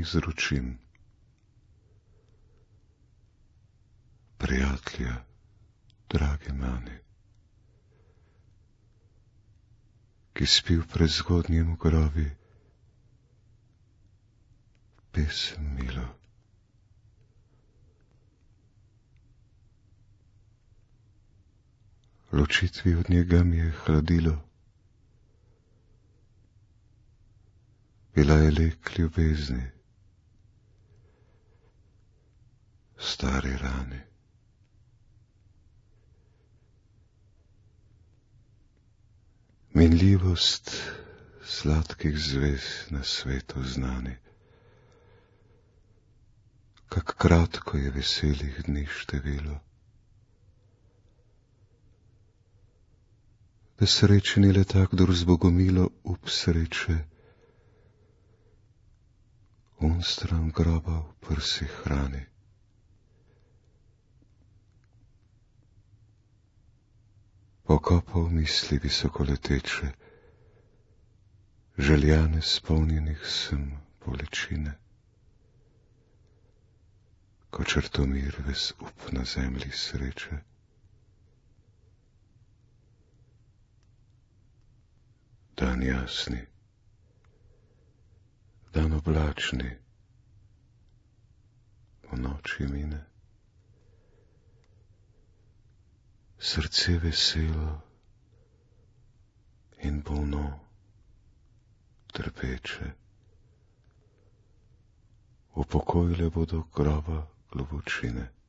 izročim. Prijatelja, dragi mani, ki spi v prezgodnjem grovi, pesem milo. Ločitvi od njega mi je hladilo, bila je lek ljubezni, stari rani. Minljivost sladkih zvez na svetu znani, kak kratko je veselih dni število. Da srečen je le tak, kdor z bogomilo up sreče stran groba v prsi hrani. Pokopal misli visokoleteče, željane spolnjenih sem bolečine, ko Črtomir ves up na zemlji sreče. Dan jasni, dan oblačni, po noči mine. Srce veselo in bolno, trpeče, upokojile bodo groba globočine.